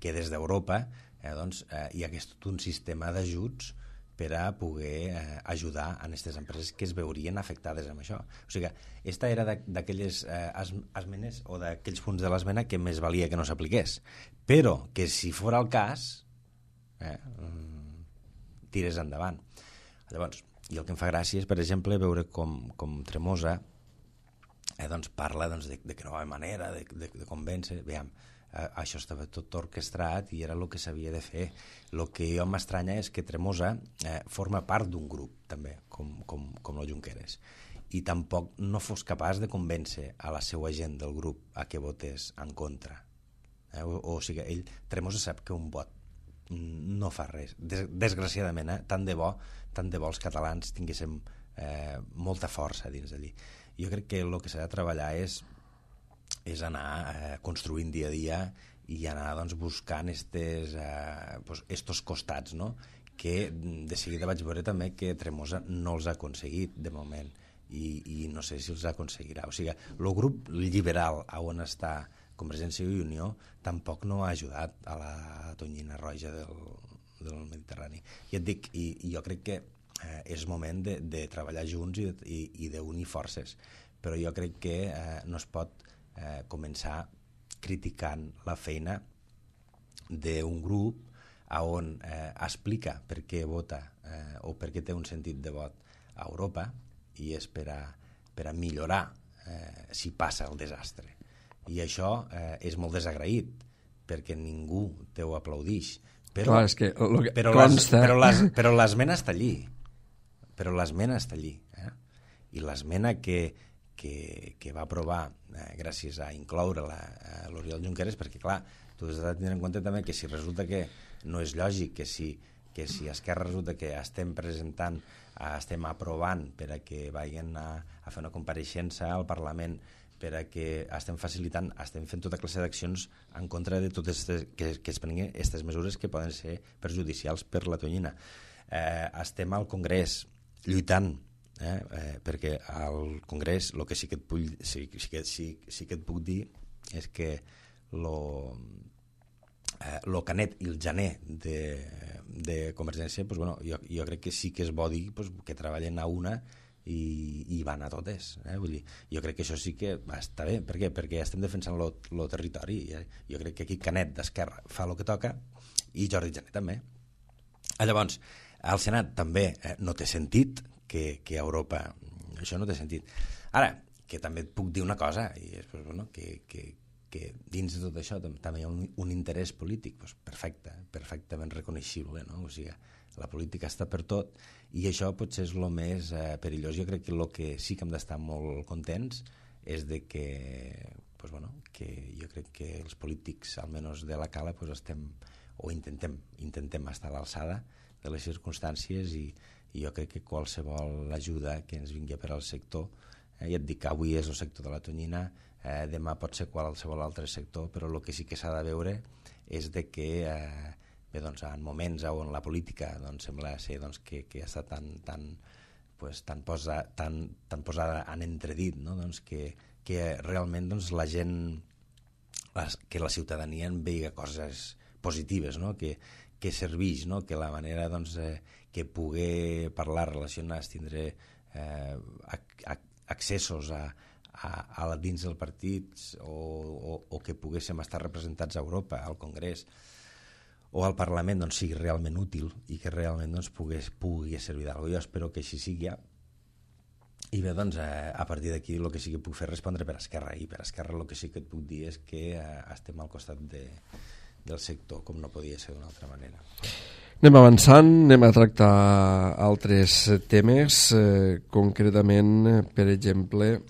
que des d'Europa hi hagués tot un sistema d'ajuts per a poder ajudar a aquestes empreses que es veurien afectades amb això. O sigui, aquesta era d'aquelles esmenes o d'aquells punts de l'esmena que més valia que no s'apliqués, però que si fos el cas tires endavant. Llavors, i el que em fa gràcia és, per exemple, veure com Tremosa parla de que no hi ha manera de convèncer. Veiem, això estava tot orquestrat i era el que s'havia de fer. El que jo m'estranya és que Tremosa forma part d'un grup, també, com el Junqueras, i tampoc no fos capaç de convèncer a la seva gent del grup a que votés en contra. O sigui, Tremosa sap que un vot no fa res. Desgraciadament, tant de bo els catalans tinguéssim molta força dins d'allí. Jo crec que el que s'ha de treballar és anar construint dia a dia i anar buscant estos costats, no? Que de seguida vaig veure també que Tremosa no els ha aconseguit de moment i no sé si els aconseguirà. O sigui, el grup liberal on està Convergència i Unió tampoc no ha ajudat a la tonyina roja del Mediterrani. I et dic, i jo crec que és moment de treballar junts i d'unir forces, però jo crec que no es pot començar criticant la feina d'un grup on explica per què vota o per què té un sentit de vot a Europa i és per a millorar si passa el desastre. I això és molt desagraït perquè ningú t'ho aplaudix. Però l'esmena està allí. Però l'esmena està allí. I l'esmena que va aprovar gràcies a incloure l'Oriol Junqueras, perquè clar, tu has de tenir en compte també que si resulta que no és lògic que si Esquerra resulta que estem aprovant per a que vagin a fer una compareixença al Parlament per a que estem facilitant, estem fent tota classe d'accions en contra de totes que es prenguin aquestes mesures que poden ser perjudicials per la tonyina. Estem al Congrés lluitant, perquè al Congrés el que sí que et puc dir és que el Canet i el Jané de Convergència, jo crec que sí que és bo dir que treballen a una i van a totes. Vull dir, jo crec que això sí que està bé. Per què? Perquè estem defensant el territori. Jo crec que aquí Canet d'Esquerra fa el que toca i Jordi Jané també. Llavors, al Senat també no té sentit que a Europa això no té sentit. Ara, que també et puc dir una cosa, i és que dins de tot això també hi ha un interès polític perfectament reconeixible, no? O sigui, la política està per tot i això potser és el més perillós. Jo crec que el que sí que hem d'estar molt contents és de que, que jo crec que els polítics, almenys de la Cala, estem o intentem estar a l'alçada de les circumstàncies i jo crec que qualsevol ajuda que ens vingui per al sector, ja et dic que avui és el sector de la tonyina, demà pot ser qualsevol altre sector, però el que sí que s'ha de veure és de que en moments on la política sembla ser que està tan posada en entredit, no? Que realment la gent, que la ciutadania en veiga coses positives, no? Que serveix, no? Que la manera que pugui parlar, relacionar, tindre accessos a dins del partit o que poguéssim estar representats a Europa, al Congrés o al Parlament, sigui realment útil i que realment pugui servir d'alguna cosa. Jo espero que així sigui. I bé, a partir d'aquí el que sí que puc fer és respondre per Esquerra, i per Esquerra el que sí que et puc dir és que estem al costat del sector, com no podia ser d'una altra manera. Anem avançant, anem a tractar altres temes, concretament, per exemple,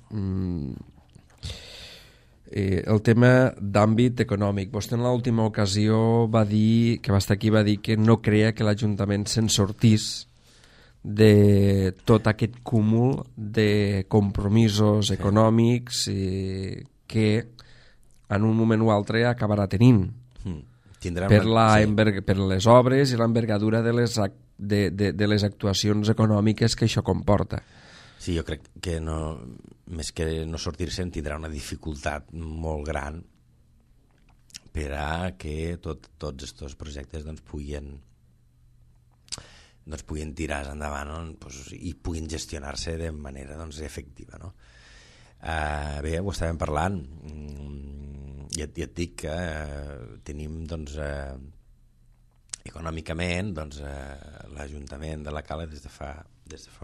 el tema d'àmbit econòmic. Vostè en l'última ocasió va dir, que va estar aquí, va dir que no creia que l'Ajuntament se'n sortís de tot aquest cúmul de compromisos econòmics que en un moment o altre acabarà tenint per les obres i l'envergadura de les actuacions econòmiques que això comporta. Sí, jo crec que més que no sortir-se'n tindrà una dificultat molt gran per a que tots aquests projectes puguin tirar endavant i puguin gestionar-se de manera efectiva, no? Bé, ho estàvem parlant, i et dic que tenim econòmicament l'Ajuntament de la Cala des de fa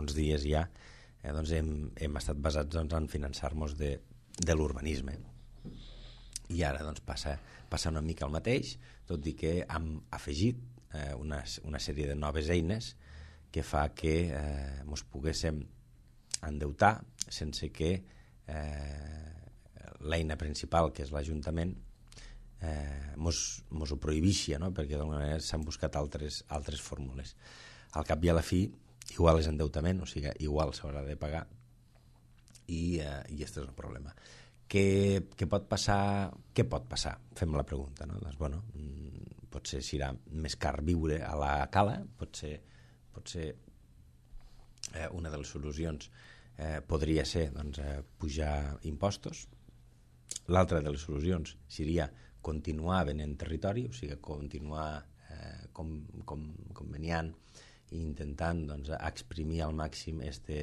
uns dies ja hem estat basats en finançar-nos de l'urbanisme, i ara passa una mica el mateix, tot i que hem afegit una sèrie de noves eines que fa que ens poguéssim endeutar sense que l'eina principal, que és l'Ajuntament, ens ho prohibixi, no? Perquè d'alguna manera s'han buscat altres fórmules. Al cap i a la fi, igual és endeutament, o sigui, igual s'haurà de pagar, i aquest és el problema. Què pot passar? Què pot passar? Fem la pregunta, no? Potser serà més car viure a la Cala, potser una de les solucions podria ser pujar impostos. L'altra de les solucions seria continuar venent territori, o sigui, continuar conveniant i intentant exprimir al màxim este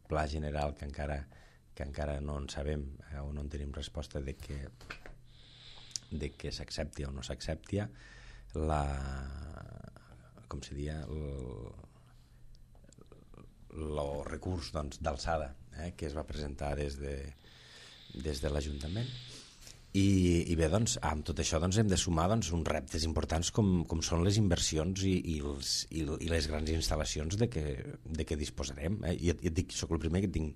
pla general que encara no en sabem o no en tenim resposta de que s'accepti o no s'accepti com se diria el recurs d'alçada que es va presentar des de l'Ajuntament. I bé, amb tot això hem de sumar uns reptes importants com són les inversions i les grans instal·lacions de què disposarem. I et dic, soc el primer que tinc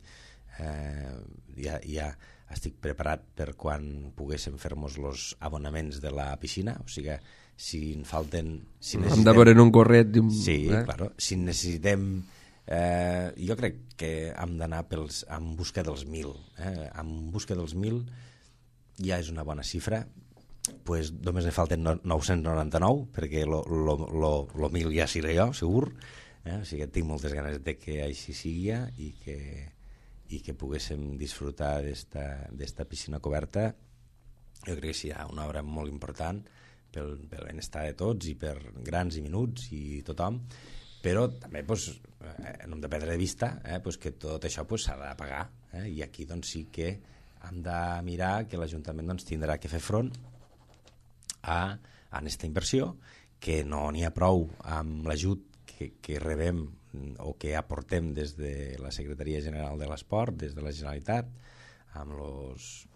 ja estic preparat per quan poguéssim fer-nos els abonaments de la piscina, o sigui, si en falten... Hem de veure en un corret... Sí, claro. Si necessitem Jo crec que hem d'anar en busca dels 1.000. En busca dels 1.000 ja és una bona xifra. Pues només li falten 999, perquè lo 1.000 ja seré jo, segur. O sigui que tinc moltes ganes de que així sigui i que poguéssim disfrutar d'esta piscina coberta. Jo crec que serà una obra molt important pel benestar de tots i per grans i menuts i tothom, però també no hem de perdre de vista que tot això s'ha de pagar, i aquí doncs, sí que hem de mirar que l'Ajuntament tindrà que fer front a aquesta inversió, que no n'hi ha prou amb l'ajut que rebem o que aportem des de la Secretaria General de l'Esport, des de la Generalitat, amb els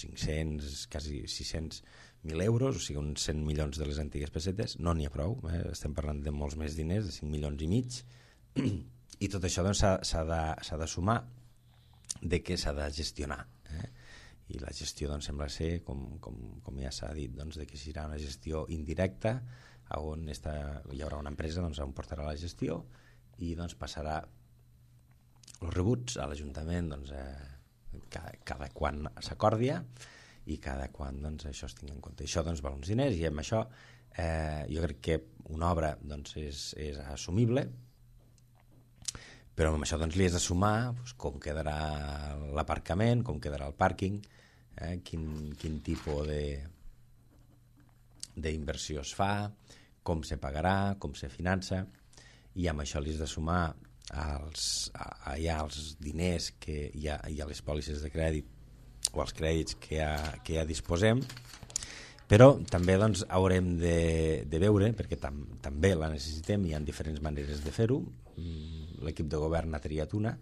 500, quasi 600.000 euros, o sigui, uns 100 milions de les antigues pessetes. No n'hi ha prou, estem parlant de molts més diners, de 5 milions i mig, i tot això doncs, s'ha de sumar de què s'ha de gestionar. I la gestió doncs, sembla ser, com ja s'ha dit, doncs, de que serà una gestió indirecta, on hi haurà una empresa on portarà la gestió i doncs, passarà els rebuts a l'Ajuntament cada quan s'acordia i cada quan doncs, això es tingui en compte. Això doncs, val uns diners, i amb això jo crec que una obra doncs, és assumible, però amb això doncs, li has de sumar com quedarà l'aparcament, com quedarà el pàrquing, quin tipus d'inversió es fa, com se pagarà, com se finança, i amb això li has de sumar els diners que hi ha a les pòlisses de crèdit o els crèdits que ja disposem, però també doncs, haurem de veure, perquè també la necessitem, hi ha diferents maneres de fer-ho. L'equip de govern ha triat una,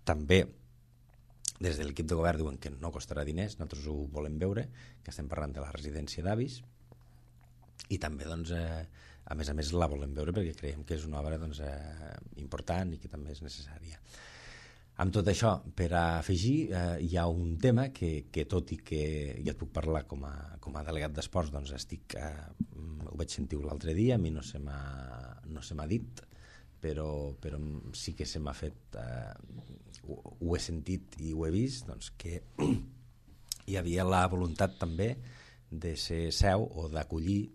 també des de l'equip de govern diuen que no costarà diners, nosaltres ho volem veure, que estem parlant de la residència d'avis, i també doncs, a més la volem veure perquè creiem que és una obra doncs, important i que també és necessària. Amb tot això, per afegir, hi ha un tema que tot i que ja et puc parlar com a delegat d'esports, doncs ho vaig sentir l'altre dia, a mi no se m'ha dit, però sí que se m'ha fet, ho he sentit i ho he vist, doncs, que hi havia la voluntat també de ser seu o d'acollir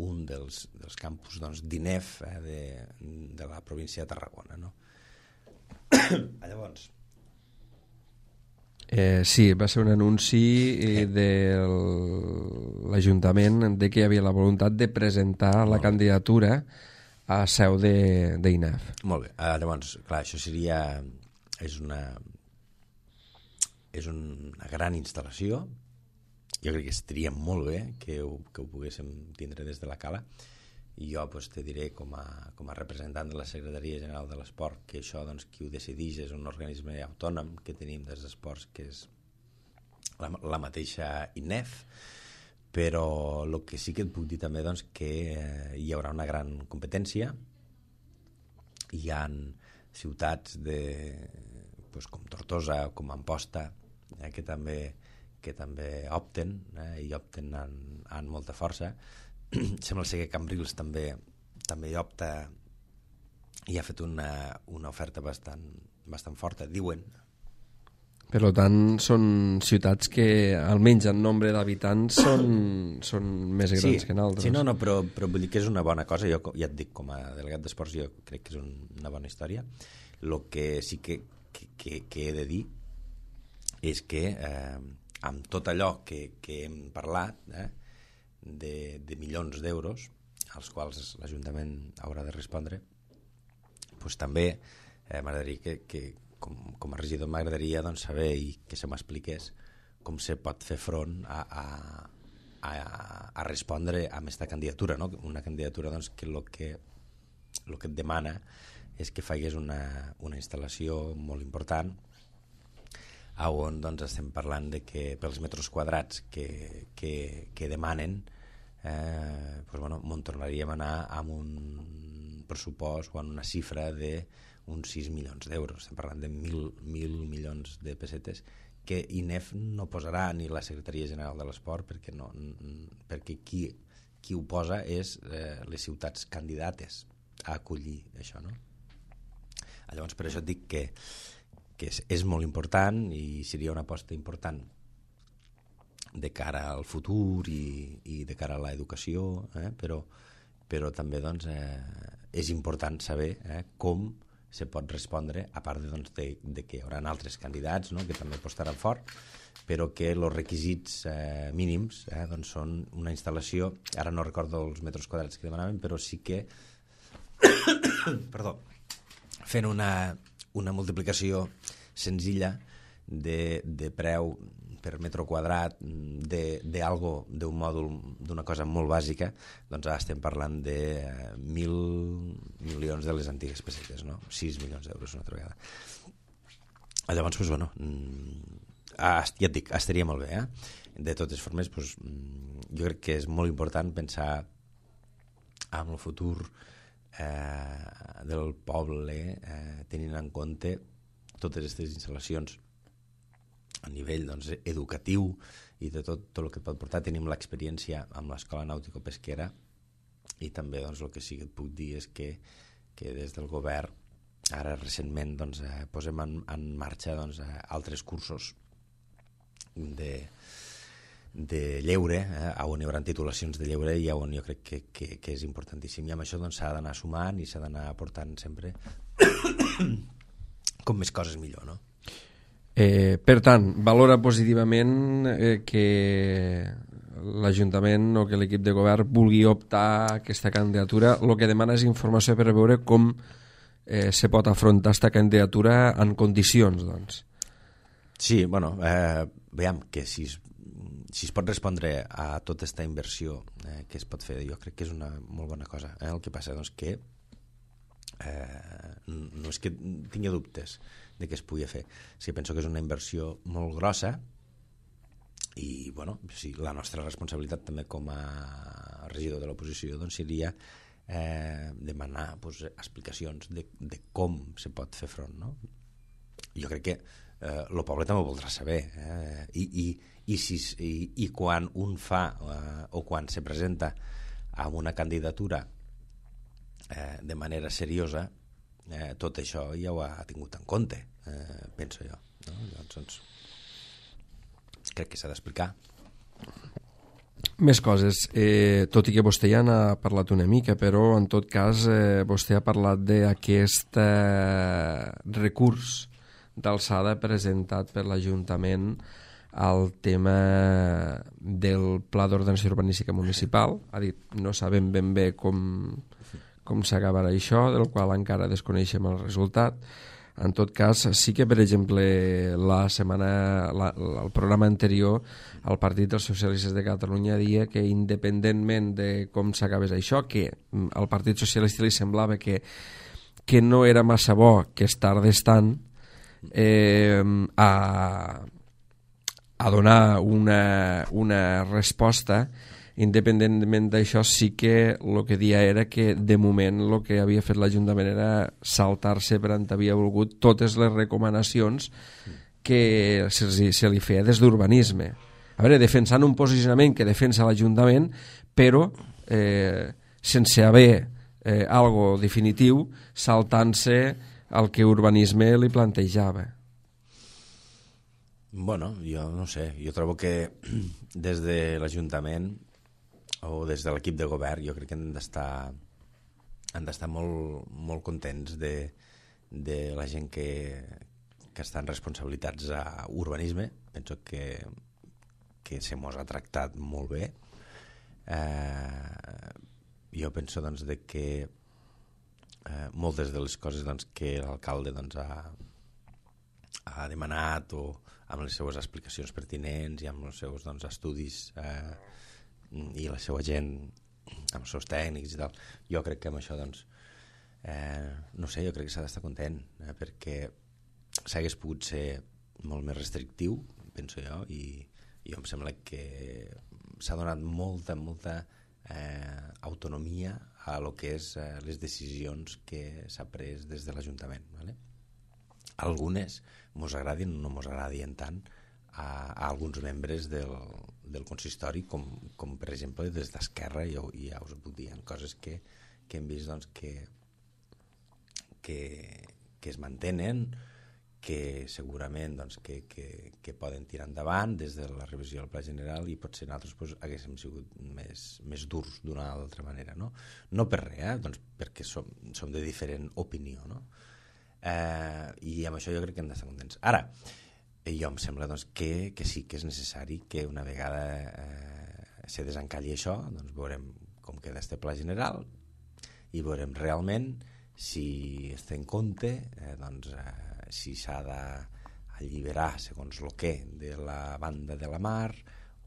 un dels campus d'INEF de la província de Tarragona, no? Llavors sí, va ser un anunci de l'Ajuntament de que hi havia la voluntat de presentar la candidatura a seu d'INEF. Molt bé, llavors, clar, això és una gran instal·lació. Jo crec que estaria molt bé que ho poguéssim tindre des de la Cala, i jo te diré com a representant de la Secretaria General de l'Esport que això doncs, qui ho decideix és un organisme autònom que tenim des d'esports, que és la mateixa INEF, però el que sí que et puc dir també doncs, que hi haurà una gran competència. Hi ha ciutats com Tortosa o com Amposta que també opten i opten amb molta força. Sembla ser que Cambrils també hi opta i ha fet una oferta bastant forta, diuen. Per tant, són ciutats que, almenys en nombre d'habitants, són més grans que en altres. Sí, no, però vull dir que és una bona cosa. Jo ja et dic, com a delegat d'esports, jo crec que és una bona història. El que sí que he de dir és que amb tot allò que hem parlat de milions d'euros als quals l'Ajuntament haurà de respondre, doncs també m'agradaria que com a regidor m'agradaria doncs, saber i que se m'expliqués com se pot fer front a respondre a aquesta candidatura, no? Una candidatura doncs, que el que et demana és que faigués una instal·lació molt important on doncs, estem parlant de que pels metres quadrats que demanen tornaríem a anar amb un pressupost o amb una xifra d'uns 6 milions d'euros. Estem parlant de 1.000 milions de pessetes que INEF no posarà, ni la Secretaria General de l'Esport, perquè qui ho posa és les ciutats candidates. acollir això, no? Llavors, per això et dic que és molt important i seria una aposta important de cara al futur i de cara a l'educació, però també doncs, és important saber com se pot respondre, a part de que hi haurà altres candidats, no?, que també apostaran fort, però que els requisits mínims doncs són una instal·lació, ara no recordo els metres quadrats que demanaven, però sí que perdó, fent una multiplicació senzilla de preu per metre quadrat d'un mòdul, d'una cosa molt bàsica, doncs ara estem parlant de 1.000 milions de les antigues pessetes, no? 6 milions d'euros una altra vegada. Llavors, doncs, bueno, ja et dic, estaria molt bé, De totes formes, doncs, jo crec que és molt important pensar en el futur del poble, tenint en compte totes aquestes instal·lacions a nivell doncs, educatiu i de tot el que et pot portar. Tenim l'experiència amb l'Escola Nàutico-Pesquera i també doncs, el que sí que et puc dir és que des del govern ara recentment doncs, posem en marxa doncs, altres cursos de lleure, on hi haurà titulacions de lleure i on jo crec que és importantíssim, i amb això doncs, s'ha d'anar sumant i s'ha d'anar aportant sempre com més coses millor, no? Per tant, valora positivament que l'Ajuntament o que l'equip de govern vulgui optar a aquesta candidatura. El que demana és informació per veure com se pot afrontar aquesta candidatura en condicions, doncs. Sí, bueno, veiem que si es pot respondre a tota aquesta inversió que es pot fer, jo crec que és una molt bona cosa. El que passa doncs que no és que tingui dubtes de que es pugui fer. Sí, penso que és una inversió molt grossa i, bueno, sí, la nostra responsabilitat també com a regidor de l'oposició doncs seria demanar doncs, explicacions de com se pot fer front, no? Jo crec que el poble també ho voldrà saber, i quan un fa o quan se presenta a una candidatura de manera seriosa, tot això ja ho ha tingut en compte, penso jo, no? Doncs, crec que s'ha d'explicar. Més coses, tot i que vostè ja n'ha parlat una mica, però en tot cas vostè ha parlat d'aquest recurs d'alçada presentat per l'Ajuntament al tema del Pla d'Ordenació Urbanística Municipal. Ha dit, no sabem ben bé com s'acabarà això, del qual encara desconeixem el resultat. En tot cas, sí que, per exemple, el programa anterior, el Partit dels Socialistes de Catalunya deia que, independentment de com s'acabés això, que al Partit Socialista li semblava que no era massa bo que es tardés tant a donar una resposta. Independentment d'això, sí que el que dia era que de moment el que havia fet l'Ajuntament era saltar-se per on havia volgut totes les recomanacions que se li feia des d'urbanisme. A veure, defensant un posicionament que defensa l'Ajuntament, però sense haver algo definitiu, saltant-se el que urbanisme li plantejava. Bueno, jo no sé, jo trobo que des de l'Ajuntament o des de l'equip de govern jo crec que han d'estar molt, molt contents de la gent que estan responsabilitats a urbanisme. Penso que se mos ha tractat molt bé. Jo penso doncs, de que moltes de les coses doncs, que l'alcalde doncs, ha demanat o amb les seues explicacions pertinents i amb els seus doncs, estudis i la seva gent amb els seus tècnics i tal, jo crec que amb això doncs, no sé, jo crec que s'ha d'estar content perquè s'hagués pogut ser molt més restrictiu, penso jo, i jo em sembla que s'ha donat molta autonomia a lo que és les decisions que s'ha pres des de l'Ajuntament, ¿vale? Algunes mos agradin o no mos agradien tant a alguns membres del consistori com per exemple des d'Esquerra, i ja us ho puc dir, coses que hem vist doncs, que que es mantenen, que segurament doncs, que poden tirar endavant des de la revisió del Pla General, i potser nosaltres haguéssim sigut més durs d'una altra manera, no? No per res, doncs perquè som de diferent opinió, no? I amb això jo crec que hem d'estar contents. Ara, jo em sembla doncs, que sí que és necessari que una vegada se desencalli això, doncs veurem com queda este Pla General i veurem realment si es té en compte si s'ha d'alliberar segons el que de la banda de la mar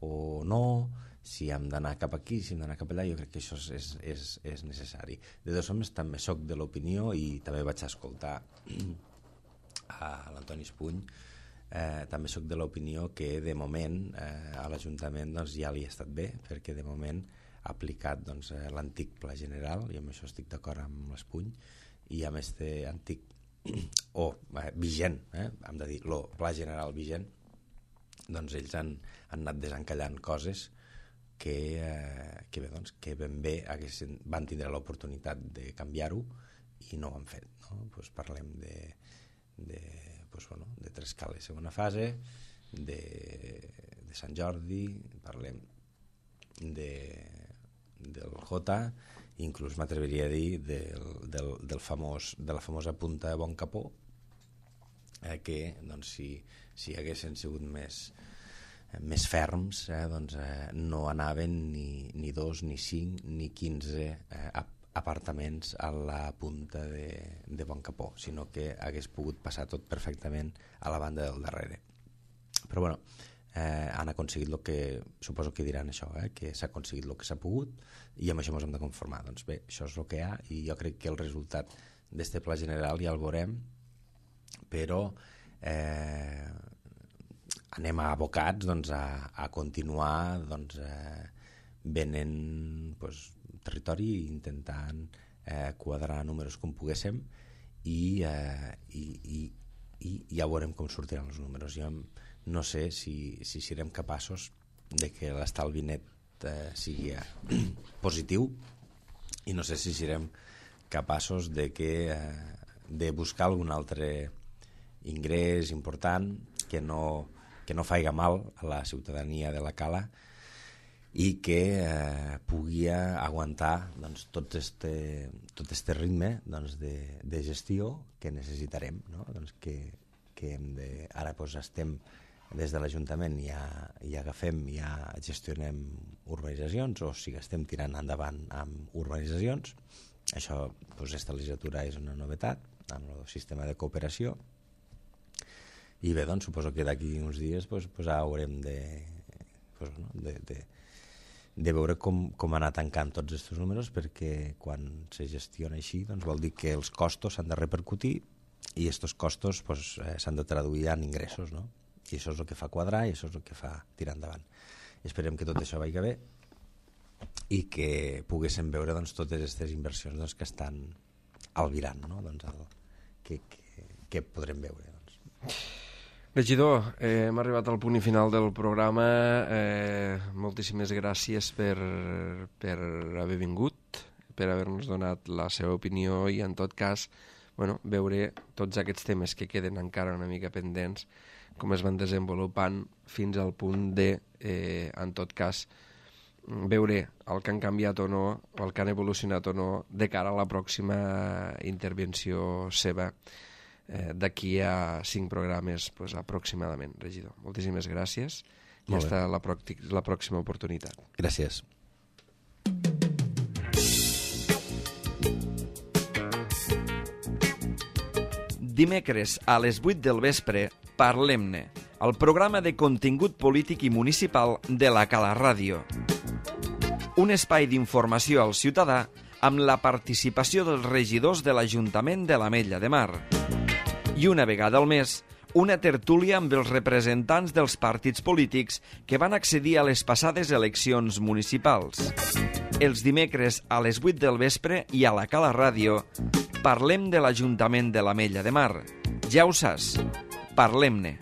o no, si hem d'anar cap aquí, si hem d'anar cap allà. Jo crec que això és necessari. De totes formes, també soc de l'opinió, i també vaig escoltar a l'Antoni Espuny, també soc de l'opinió que de moment a l'Ajuntament doncs, ja li ha estat bé, perquè de moment ha aplicat doncs, l'antic Pla General, i amb això estic d'acord amb l'Espuny, i amb este antic vigent, hem de dir, el Pla General vigent, doncs ells han anat desencallant coses que ben bé van tindre l'oportunitat de canviar-ho i no ho han fet, no? Pues parlem de Trescales segona fase, de Sant Jordi, parlem del Jota, inclús m'atreviria a dir de la famosa punta de Bon Capó, que doncs, si haguessin sigut més ferms, doncs, no anaven ni 2, ni 5, ni 15 apartaments a la punta de Bon Capó, sinó que hagués pogut passar tot perfectament a la banda del darrere. Però bueno, han aconseguit el que, suposo que diran això, que s'ha aconseguit el que s'ha pogut, i amb això ens hem de conformar. Doncs bé, això és el que hi ha, i jo crec que el resultat d'este Pla General ja el veurem, però anem abocats doncs, a continuar doncs, venent territori i intentant quadrar números com poguéssim, i ja veurem com sortiran els números. Jo no sé si serem capaços de que l'estalvi net sigui positiu, i no sé si serem capaços de buscar algun altre ingrés important que no faiga mal a la ciutadania de la Cala i que pugui aguantar doncs, tot este ritme doncs, de gestió que necessitarem, no? Doncs que hem de... Ara doncs, estem des de l'Ajuntament i agafem i gestionem urbanitzacions, o sigui, estem tirant endavant amb urbanitzacions. Això, doncs, esta legislatura és una novetat amb el sistema de cooperació, i bé, doncs, suposo que d'aquí uns dies haurem de veure com anar tancant tots aquests números, perquè quan se gestiona així doncs vol dir que els costos s'han de repercutir, i aquests costos s'han de traduir en ingressos, no? I això és el que fa quadrar, i això és el que fa tirar endavant. Esperem que tot això vagi bé i que poguéssim veure doncs, totes aquestes inversions doncs, que estan albirant, no? Doncs, que podrem veure. Doncs. Regidor, hem arribat al punt final del programa. Moltíssimes gràcies per haver vingut, per haver-nos donat la seva opinió, i en tot cas veure tots aquests temes que queden encara una mica pendents, com es van desenvolupant fins al punt de, en tot cas, veure el que han canviat o no, o el que han evolucionat o no, de cara a la pròxima intervenció seva d'aquí a 5 programes aproximadament, regidor. Moltíssimes gràcies i fins la pròxima oportunitat. Gràcies. Dimecres a les 8 del vespre, Parlem-ne, el programa de contingut polític i municipal de la Cala Ràdio. Un espai d'informació al ciutadà amb la participació dels regidors de l'Ajuntament de l'Ametlla de Mar. I una vegada al mes, una tertúlia amb els representants dels partits polítics que van accedir a les passades eleccions municipals. Els dimecres a les 8 del vespre i a la Cala Ràdio parlem de l'Ajuntament de l'Ametlla de Mar. Ja ho saps, parlem-ne.